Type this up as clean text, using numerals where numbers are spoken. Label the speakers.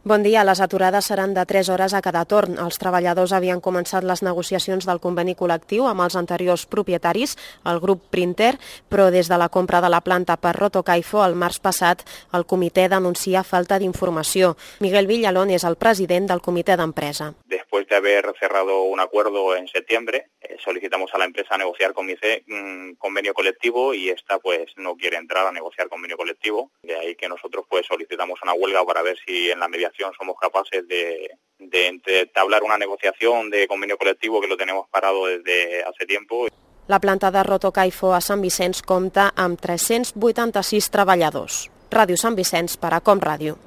Speaker 1: Bon dia. Les aturades seran de 3 hores a cada torn. Els treballadors havien començat les negociacions del conveni col·lectiu amb els anteriors propietaris, el grup Printer, però des de la compra de la planta per Rotocaifo el març passat, el comitè denuncia falta d'informació. Miguel Villalón és el president del comitè d'empresa.
Speaker 2: Después de haber cerrado un acuerdo en septiembre, solicitamos a la empresa negociar con MICE un convenio colectivo y esta pues no quiere entrar a negociar convenio colectivo. De ahí que nosotros pues solicitamos una huelga para ver si en la mediación somos capaces de entablar una negociación de convenio colectivo, que lo tenemos parado desde hace tiempo.
Speaker 1: La planta de Rotocaifo a Sant Vicenç compta amb 386 treballadors. Ràdio Sant Vicenç per a Com Ràdio.